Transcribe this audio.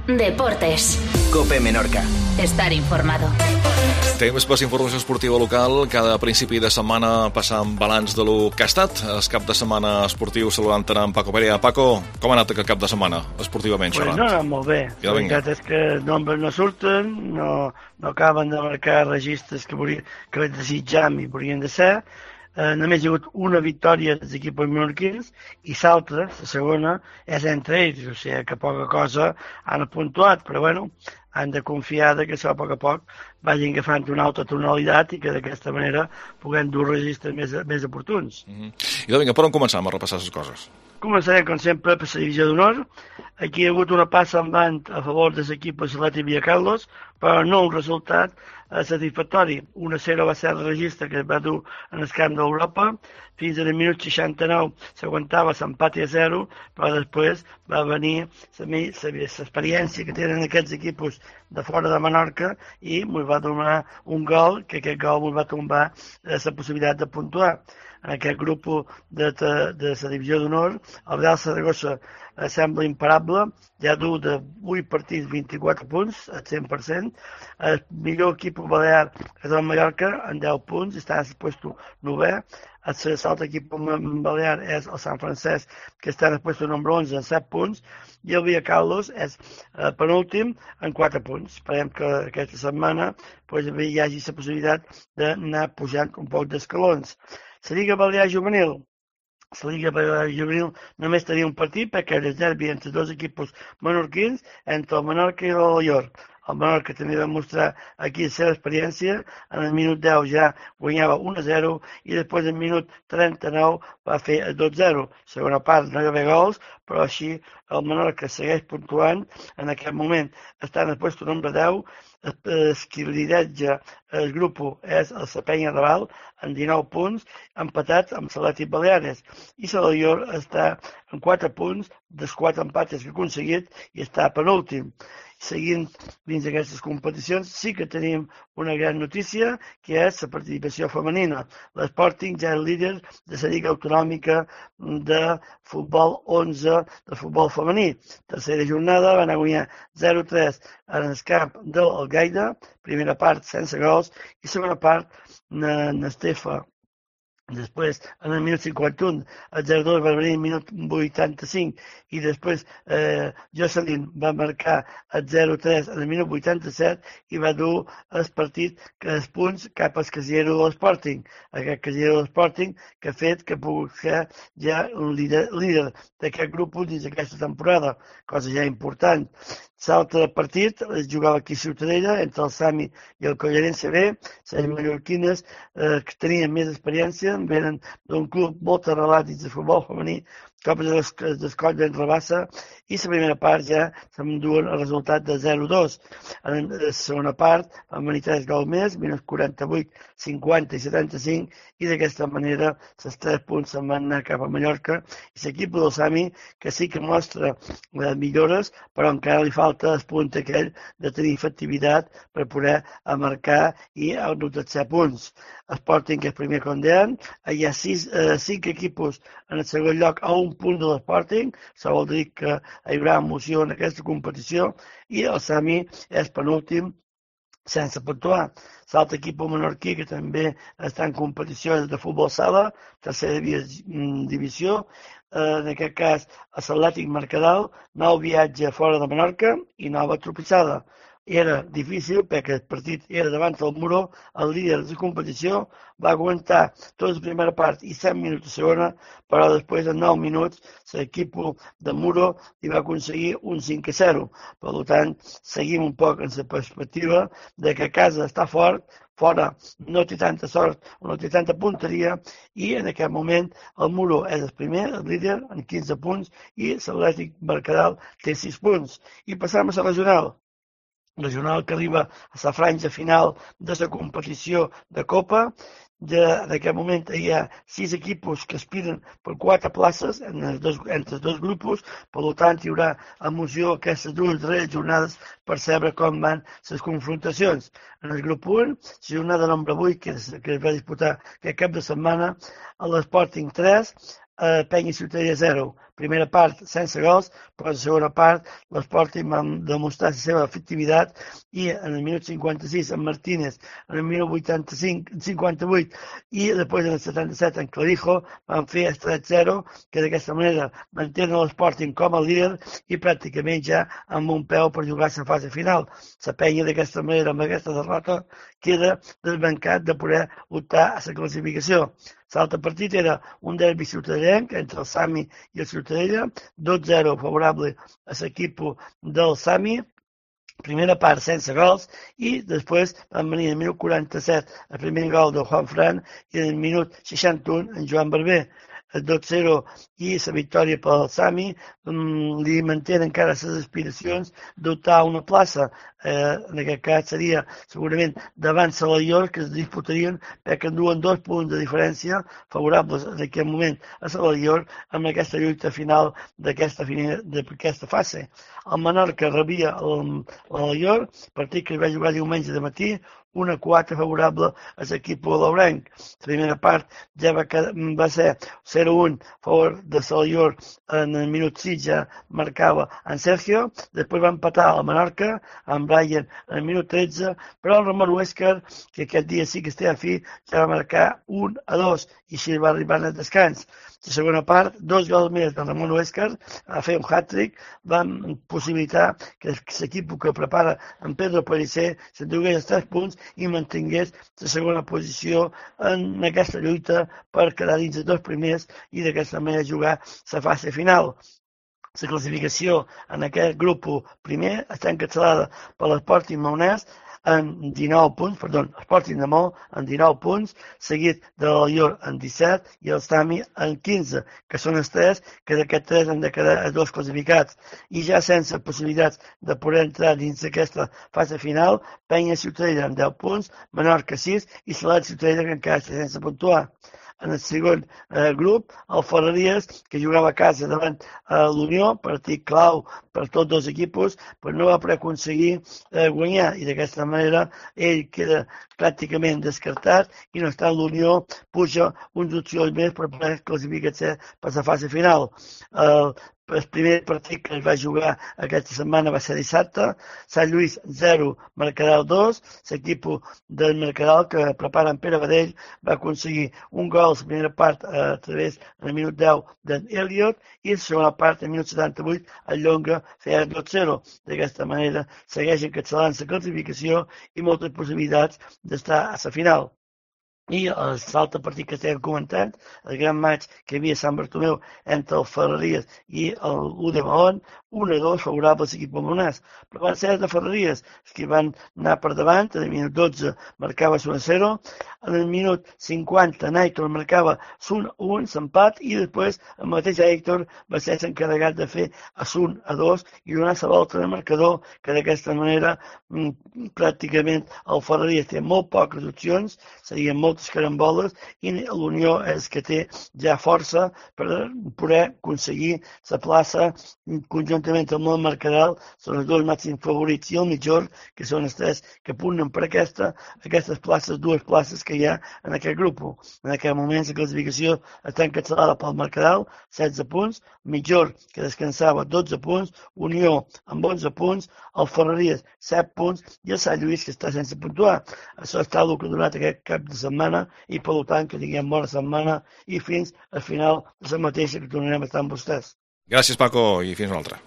Deportes. COPE Menorca. Estar informado. Temps per informació esportiva local. Cada principi de setmana passam balanç de lo que ha estat. El cap de setmana esportiu saludant en Paco Perea. Paco, com ha anat aquest cap de setmana esportivament xerrant? No ha anat molt bé. Ja, la veritat és que nombres no surten, no acaben de marcar registres que desitjam i volien de ser. Només hi ha hagut una victòria dels equips menorquins i l'altra, la segona, és entre ells. O sigui que poca cosa han puntuat, però bueno, han de confiar que això a poc vagin agafant una altra tonalitat i que d'aquesta manera puguem dur registres més oportuns. I vinga, per on començam a repassar les coses? Començarem, com sempre, per la divisió d'honor. Aquí hi ha hagut una passa endavant a favor de l'equip de Salat i Villacarlos, però no un resultat satisfactori. 1-0 va ser el registre que es va dur en el camp d'Europa. Fins al minut 69 s'aguantava l'empat a 0, però després va venir l'experiència que tenen aquests equips de fora de Menorca i ens va donar un gol, que aquest gol ens va tombar la possibilitat de puntuar. En aquest grup de la divisió d'honor, el Real Saragossa sembla imparable, ja du de 8 partits 24 punts, al 100%. El millor equip balear és el Mallorca, amb 10 punts, està en el puesto 9è. L'altre equip balear és el Sant Francesc, que està en el puesto número 11, amb 7 punts, i el Villacarlos és penúltim amb 4 punts. Esperem que aquesta setmana hi hagi la possibilitat d'anar pujant un poc d'escalons. La Lliga Balear Juvenil. La Lliga Balear Juvenil només tenia un partit perquè era el derbi entre dos equips menorquins, entre el Menorca i l'Alaior. El Menorca també va mostrar aquí la seva experiència. En el minut 10 ja guanyava 1-0 i després en minut 39 va fer el 2-0. Segona part no hi va haver gols, però així el Menorca segueix puntuant. En aquest moment està en el lloc número 10. Qui lideratge el grup és el Sapenya Raval amb 19 punts, empatat amb Salat i Baleares. I l'Alaior està amb 4 punts dels 4 empates que ha aconseguit i està penúltim. Seguint dins d'aquestes competicions, sí que tenim una gran notícia, que és la participació femenina. L'Sporting ja és líder de la Lliga Autonòmica de Futbol 11 de futbol femení. Tercera jornada van a guanyar 0-3 en el camp del Algaida, primera part sense gols, i segona part n'Estefa. Després, en el minut 51, el 0-2 va venir en el minut 85 i després Jocelyn va marcar el 0-3 en el minut 87 i va dur el partit els punts cap al casiller de l'Sporting. Aquest casiller de l'Sporting que ha fet que pugui ser ja un líder d'aquest grup dins d'aquesta temporada, cosa ja important. L'altre partit es jugava aquí a Ciutadella entre el Sami i el Collarense B. Les mallorquines que tenien més experiència venen d'un club molt arrelat dins del futbol femení, com el Coll d'en Rabassa, i la primera part ja s'enduen el resultat de 0-2. En la segona part van venir 3 gols més, minus 48, 50 i 75, i d'aquesta manera els 3 punts se'n van anar cap a Mallorca, i l'equip del Sami que sí que mostra millores, però encara li falta el punt aquell de tenir efectivitat per poder marcar i anotar 7 punts. Sporting, que és primer com deien, hi ha 5 equips en el segon lloc a un punt de l'Sporting, això vol dir que hi haurà emoció en aquesta competició, i el Sami és penúltim sense puntuar. L'altre equip menorquí que també està en competició és de futbol sala, tercera divisió, en aquest cas a l'Atlètic Mercadal, nou viatge fora de Menorca i nova tropissada. Era difícil perquè el partit era davant del Muro, el líder de la competició va aguantar tota la primera part i 7 minuts de segona, però després en 9 minuts l'equip de Muro li va aconseguir un 5-0. Per tant, seguim un poc en la perspectiva de que a casa està fort, fora no té tanta sort, no té tanta punteria, i en aquest moment el Muro és el primer, el líder, amb 15 punts, i l'Atlètic Mercadal té 6 punts. I passam a la regional que arriba a la franja final de la competició de Copa. En aquest moment hi ha 6 equips que aspiren per 4 places entre els dos grups, per tant hi haurà emoció aquestes dues darreres jornades per saber com van les confrontacions. En el grup 1, la jornada número 8 que es va disputar aquest cap de setmana, a l'Sporting 3, Penya Ciutadella 0, primera part sense gols, però la segona part l'Sporting va demostrar la seva efectivitat i en el minut 56 en Martínez, en el minut 58 i després en el 77 en Clavijo van fer el 3-0, que d'aquesta manera mantenen l'Sporting com a líder i pràcticament ja amb un peu per jugar a la fase final. La penya d'aquesta manera, amb aquesta derrota, queda desbancat de poder optar a la classificació. L'altre partit era un derbi ciutadellenc entre el Sami i el Ciutadella, 2-0 favorable a l'equip del Sami, primera part sense gols i després van venir en el minut 47 el primer gol de Juan Fran i en el minut 61 en Joan Barber. El 2-0 i la victòria pel Sami li mantenen encara les aspiracions d'optar a una plaça. En aquest cas seria segurament davant Salaior, que es disputarien perquè enduen 2 punts de diferència favorables en aquest moment a Salaior amb aquesta lluita final d'aquesta fase. El Menorca rebia l'Alaior, partit que es va jugar diumenge de matí, 1-4 favorable a l'equip laurenc. La primera part ja va ser 0-1 a favor de Salaior en el minut 6 ja marcava en Sergio, després va empatar a la Menorca amb Brian en el minut 13, però el Ramon Huescar, que aquest dia sí que estia a fi, ja va marcar 1-2 i així va arribar al descans. La segona part, 2 gols més de Ramon Huescar, a fer un hat-trick, van possibilitar que l'equip que prepara en Pedro Pellicer s'endugués els 3 punts i mantingués la segona posició en aquesta lluita per quedar dins els 2 primers i d'aquesta manera jugar la fase final. La classificació en aquest grup primer està encapçalada per l'Sporting Maonès en 19 punts, Sporting de Maó en 19 punts, seguit de l'Alaior en 17 i el Sami en 15, que són els 3, que d'aquests 3 han de quedar els 2 classificats. I ja sense possibilitats de poder entrar dins d'aquesta fase final, Penya Ciutadella amb 10 punts, Menorca 6 i Salat Ciutadella que encara està sense puntuar. En el segon grup, el Ferreries, que jugava a casa davant l'Unió, partit clau per tots 2 equips, però no va poder aconseguir guanyar i d'aquesta manera ell queda pràcticament descartat i no obstant l'Unió puja uns opcions més per poder classificar-se per la fase final. El primer partit que es va jugar aquesta setmana va ser dissabte, Sant Lluís 0, Mercadal 2, l'equip del Mercadal que prepara en Pere Badell va aconseguir un gol a la primera part a través en el minut 10 d'en Elliot i la segona part en el minut 78 el Llonga feia 2-0. D'aquesta manera segueix encapçalant la classificació i moltes possibilitats d'estar a la final. I l'altre partit que estem comentant, el gran maig que hi havia a Sant Bartomeu entre el Ferreries i l'U de Mahón, 1-2 favorable a l'equip maonès. Però van ser de Ferreries, que van anar per davant, en el minut 12 marcava 1-0, en el minut 50 Nàitor marcava 1-1, s'empat, i després el mateix Héctor va ser encarregat de fer 1-2 i donar la volta de marcador, que d'aquesta manera pràcticament el Ferreries té molt poques opcions, serien moltes caramboles, i l'Unió és que té ja força per poder aconseguir la plaça conjuntament amb el Mercadal, són els 2 màxims favorits i el Mitjor, que són els 3 que punten per aquestes places, 2 places que hi ha en aquest grup. En aquest moment la classificació està encapçalada pel Mercadal, 16 punts, Mitjor, que descansava, 12 punts, Unió amb 11 punts, el Ferreries 7 punts i el Sant Lluís, que està sense puntuar. Això està el que ha donat aquest cap de setmana i per tant que tinguem bona setmana i fins al final de la mateixa que tornarem a estar amb vostès. Gràcies, Paco, i fins una altra.